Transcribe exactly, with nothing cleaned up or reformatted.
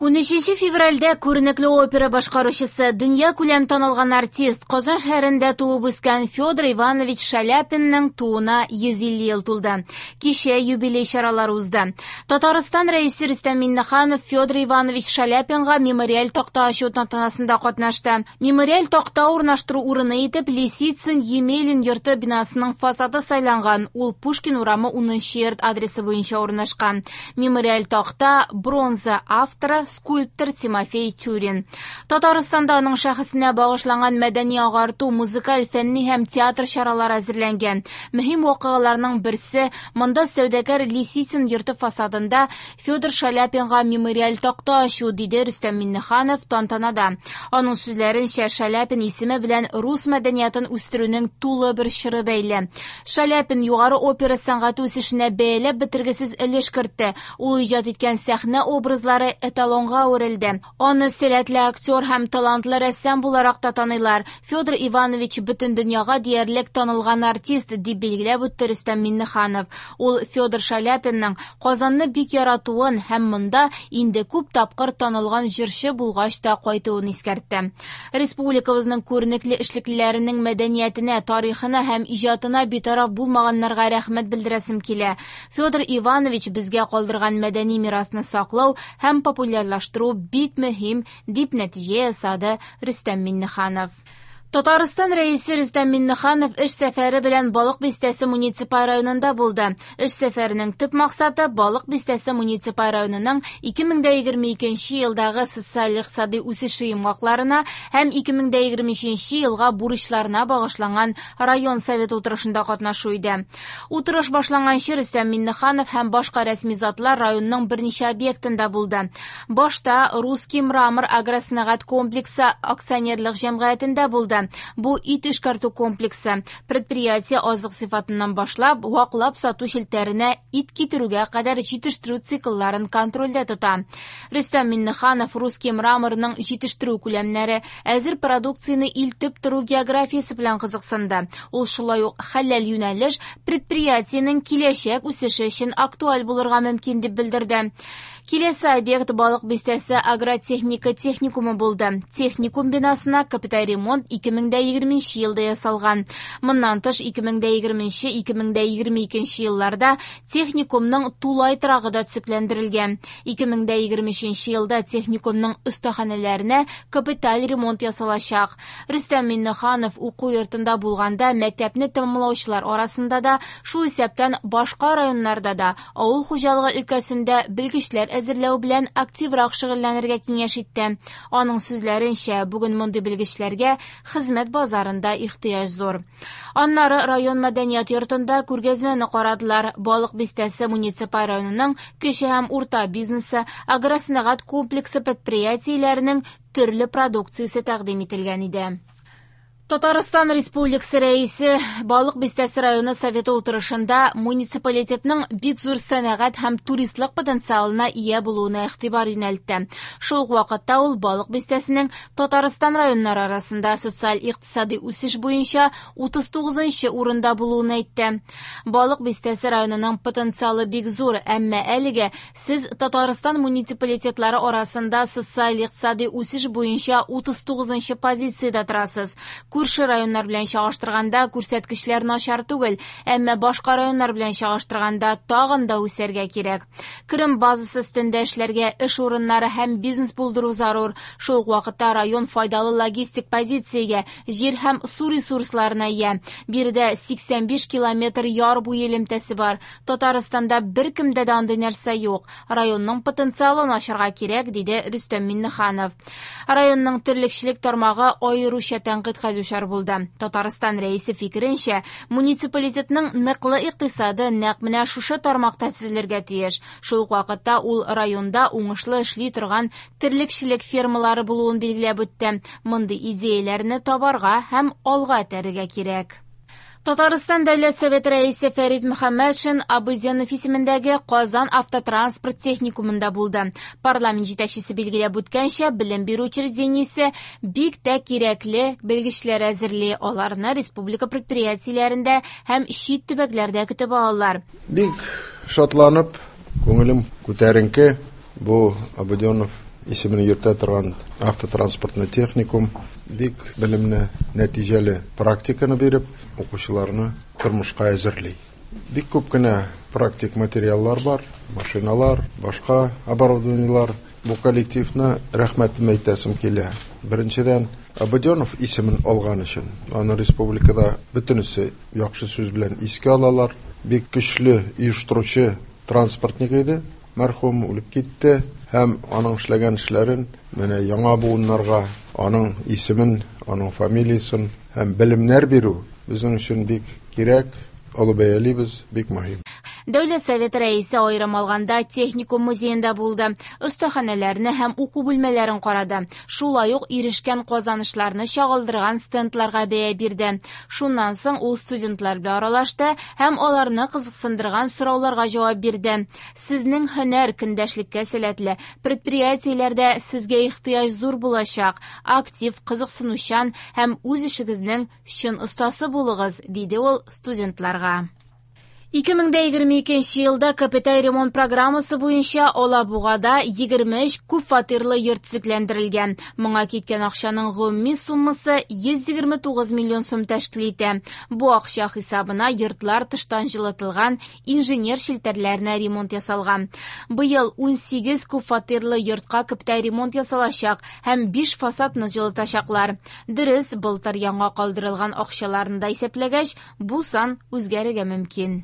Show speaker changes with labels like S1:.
S1: Унөченче февральдә күренекле опера башкаручысы, дөнья күләм танылган артист, Казан шәһәрендә туып үскән Федор Иванович Шаляпинның тууына йөз илле ел тулды. Кичә юбилей чаралары узды. Татарстан Рәисе Рөстәм Миңнеханов Федор Иванович Шаляпинга мемориаль такта ачу тантанасында катнашты. Мемориаль такта урнаштыру урыны итеп Лисицын Емелин йорты бинасының фасады сайланган. Ул Пушкин урамы унынчы йорт адресы буенча урнашкан. Мемориаль такта бронза, авторы скульптор Тимофей Тюрин. Татарстанда аның шәхесенә багышланган мәдәни агарту, музыкаль, фәнни һәм театр чаралары әзерләнгән. Мөһим вакыйгаларның берсе монда сәүдәгәр Лисицын йорты фасадында Федор Шаляпинга мемориаль такта ачу, диде Рөстәм Миңнеханов тантанада. Аның сүзләренчә, Шаляпин исеме белән рус мәдәниятын үстерүнең тулы бер чоры бәйле. Шаляпин югары опера сәнгате үсешенә бәяләп бетергесез өлеш кертте. Ул иҗат иткән сәхнә образлары эталонга әверелде. Аны сәләтле актер һәм талантлы рәссам буларак та таныйлар. Федор Иванович бөтен дөньяга диярлек танылган артист, дип билгеләп үтте Рөстәм Миңнеханов. Ул Федор Шаляпинның Казанны бик яратуын һәм монда инде күп тапкыр танылган җырчы булгач та кайтуын искәртте. Республикабызның күренекле эшлеклеләренең мәдәниятенә, тарихына һәм иҗатына битараф булмаганнарга рәхмәт белдерәсем килә. Федор Иванович безгә калдырган мәдәни мирасны саклау һәм популярлаштыру бик мөһим, дип нәтиҗә ясады Рөстәм Миңнеханов. Татарстан Рәисе Рөстәм Миңнеханов эш сәфәре белән Балык Бистәсе муниципаль районында булды. Эш сәфәренең төп максаты Балык Бистәсе муниципаль районының ике мең дә егерме икенче елдагы социаль-икътисади үсеше йомгакларына һәм ике мең дә егерме өченче елга бурычларына багышланган район советы утырышында катнашу иде. Утырыш башланганчы Рөстәм Миңнеханов һәм башка рәсми затлар районның берничә объектында булды. Башта Русский мрамор агросәнәгать комплексы акционерлык җәмгыятендә булды. Бу ит эшкәртү комплексы. Предприятие азык сыйфатыннан башлап, ваклап сату челтәренә ит китерүгә кадәр җитештерү циклларын контрольдә тота. Рөстәм Миңнеханов Русский мраморның җитештерү күләмнәре, әзер продукцияне илтеп тору географиясе белән кызыксынды. Ул шулай ук хәләл юнәлеш предприятиенең киләчәк үсеше өчен актуаль булырга мөмкин дип белдерде. Киләсе объект Балык Бистәсе агротехника техникумы булды. Техникум бинасына капиталь ремонт ике мең дә егерменче елда ясалган. Моннан тыш ике мең дә егерменче, ике мең дә егерме икенче елларда техникумның тулай торагы да төзекләндерелгән. Ике мең дә егерме өченче елда техникумның остаханәләренә капиталь ремонт ясалачак. Рөстәм Миңнеханов уку йортында булганда мәктәпне тәмамлаучылар арасында да, шул исәптән башка районнарда да авыл хуҗалыгы өлкәсендә белгечләр әзерләү белән активрак шөгыльләнергә киңәш итте. Аның сүзләренчә, бүген мондый белгечләргә хезмәт базарында ихтыяҗ зур. Аннары район мәдәният йортында күргәзмәне карадылар. Балык Бистәсе муниципаль районының кече һәм урта бизнесы, агросәнәгать комплексы предприятиеләренең төрле продукциясе тәкъдим ителгән иде. Татарстан Республикасы Рәисе Балык Бистәсе районы советы утырышында муниципалитетның бик зур сәнәгать һәм туристлык потенциалына ия булуына игътибар юнәлтте. Шул ук вакытта ул Балык Бистәсенең Татарстан районнары арасында социаль-икътисади үсеш буенча утыз тугызынчы урында булуын әйтте. Балык Бистәсе районының потенциалы бик зур, әмма әлегә сез Татарстан муниципалитетлары арасында социаль-икътисади үсеш буенча утыз тугызынчы позициядә торасыз. Күрше районнар белән чагыштырганда күрсәткечләр начар түгел, әмма башка районнар белән чагыштырганда тагын да үсәргә кирәк. Керем базасы өстендә эшләргә, эш урыннары һәм бизнес булдыру зарур. Шул ук вакытта район файдалы логистик позициягә, җир һәм су ресурсларына ия. Биредә сиксән биш километр яр буе элемтәсе бар. Татарстанда беркемдә дә андый нәрсә юк. Районның потенциалын ачарга кирәк, диде Рөстәм Миңнеханов. Районның терлекчелек тармагы аеруча тәнкыйтькә дучар булды. Татарстан Рәисе фикеренчә, муниципалитетның ныклы икътисады нәкъ менә шушы тармакта төзелергә тиеш. Шул ук вакытта ул районда уңышлы эшли торган терлекчелек фермалары булуын билгеләп үтте. Мондый идеяләрне табарга һәм алга этәрергә кирәк. Татарстан Дәүләт Советы рәисе Фәрит Мөхәммәтшин Абыйзянов исемендәге Казан автотранспорт техникумында булды. Парламент җитәкчесе билгеләп үткәнчә, белем бирү учреждениесе бик тә кирәкле белгечләр әзерли. Аларны республика предприятиеләрендә һәм чит төбәкләрдә көтеп алалар.
S2: Бик шатланып, күңелем күтәренке бу Абыйзянов Исемен йөртә торган автотранспортный техникум бик белемле, нәтиҗәле практиканы биреп, укучыларны тормышка әзерли. Бик күп кенә практик материаллар бар, машиналар, башка оборудованиелар. Бу коллективны рәхмәтем әйтәсем килә. Беренчедән, Абаденов исемен алган өчен, аны республикада бөтенесе яхшы сүз белән искә алалар. Бик көчле оештыручы транспортник иде, мәрхүм үлеп китте һәм аның эшләгән эшләрен менә яңа буыннарга аның исемен, аның фамилиясын һәм белемнәр бирү безнең өчен бик кирәк, олы бәялибез, бик мөһим.
S1: Дәүләт Советы рәисе аерым алганда техникум музеенда булды. Остаханәләрне һәм уку бүлмәләрен карады. Шулай ук ирешкән казанышларны чагылдырган стендларга бәя бирде. Шуннан соң ул студентлар белән аралашты һәм аларны кызыксындырган сорауларга җавап бирде. Сезнең һөнәр көндәшлеккә сәләтле, предприятиеләрдә сезгә ихтыяҗ зур булачак. Актив, кызыксынучан һәм үз эшегезнең чын остасы булыгыз, диде ул студентларга. ике мең дә егерме икенче елда капиталь ремонт программасы буенча Алабугада егерме өч күп фатирлы йорт төзекләндерелгән. Моңа киткән акчаның гомуми суммасы йөз егерме тугыз миллион сум тәшкил итә. Бу акча хисабына йортлар тыштан җылытылган, инженер челтәрләренә ремонт ясалган. Быел ун сигез күп фатирлы йортка капиталь ремонт ясалачак һәм биш фасадны җылытачаклар. Дөрес, былтыр яңа калдырылган акчаларны да исәпләгәч, бу сан үзгәрергә мөмкин.